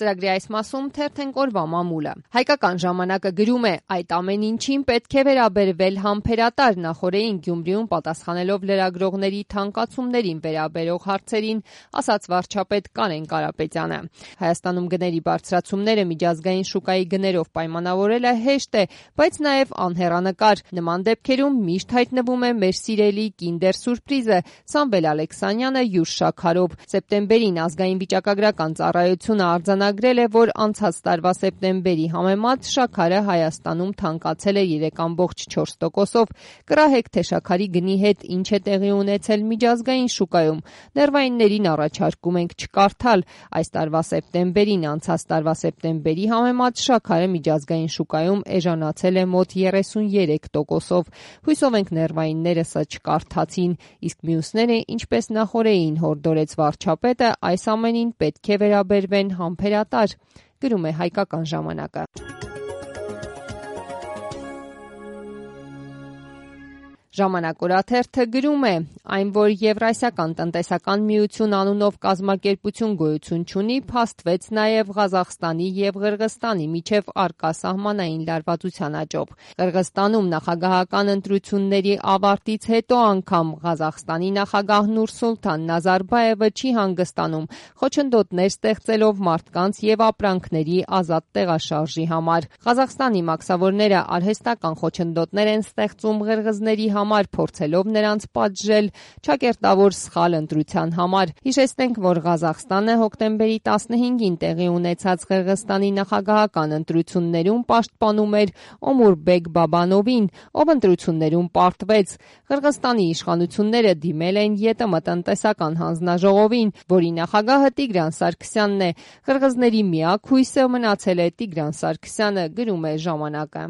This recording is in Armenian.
Ծրագրի այս մասում թերթենք օրվա մամուլը։ Հայկական ժամանակը գրում է. այդ ամեն ինչին պետք է վերաբերվել համբերատար, նախօրեին Գյումրիում պատասխանելով լրագրողների թանկացումներին վերաբերող հարցերին, ասաց վարչապետ Կարեն Կարապետյանը։ Հայաստանում գների բարձրացումները միջազգային շուկայի գներով պայմանավորելը հեշտ է, բայց նաև անհեռանկար։ Նման դեպքերում միշտ հայտնվում է մեր սիրելի Kinder Surprise-ը, Սամվել Ալեքսանյանը յուր շաքարով։ Սեպտեմբերին ազգային վիճակագրական ծառայությունը արձանագրել է, որ անցած տարվա սեպտեմբերի համեմատ շաքարը Հայաստանում թանկացել է 3,4%-ով։ Կռահեք, թե շաքարի գնի հետ ինչ է տեղի ունեցել միջազգային շուկայում։ Ներվայիններին առաջարկում ենք չկարդալ։ Այս տարվա սեպտեմբերին անցած տարվա սեպտեմբերի համեմատ շաքարը միջազգային շուկայում էժանացել է մոտ 33%-ով։ Հույսով ենք ներվայինները սա չկարդացին, իսկ մյուսները, ինչպես նախօրեին հորդորեց վարչապետը, այս ամենին պետք է վերաբերվեն համբերատար, գրում է Հայկական ժամանակը։ Ժամանակ օրաթերթը գրում է. այն, որ Եվրասիական տնտեսական միություն անունով կազմակերպություն գոյություն չունի, փաստվեց նաև Ղազախստանի եւ Ղրղստանի միջև առկա սահմանային լարվածության աճով։ Ղրղստանում նախագահական ընտրությունների ավարտից հետո անգամ Ղազախստանի նախագահ Նուրսուլտան Նազարբաևը չի հանգստանում, խոչընդոտներ ստեղծելով մարդկանց եւ ապրանքների ազատ տեղաշարժի համար։ Ղազախստանի մաքսավորները արհեստական խոչընդոտներ են ստեղծում ղրղզների համար, փորձելով նրանց պատժել ճակերտավոր սխալ ընտրության համար։ Հիշեցնենք, որ Ղազախստանը հոկտեմբերի 15-ին տեղի ունեցած Ղրղստանի նախագահական ընտրություններում պաշտպանում էր Օմուրբեկ Բաբանովին, ով ընտրություններում պարտվեց։ Ղրղստանի իշխանությունները դիմել են ԵՏՄ տնտեսական հանձնաժողովին, որի նախագահը Տիգրան Սարգսյանն է։ Ղրղզների միակ հույսը մնացել է Տիգրան Սարգսյանը, գրում է ժամանակը։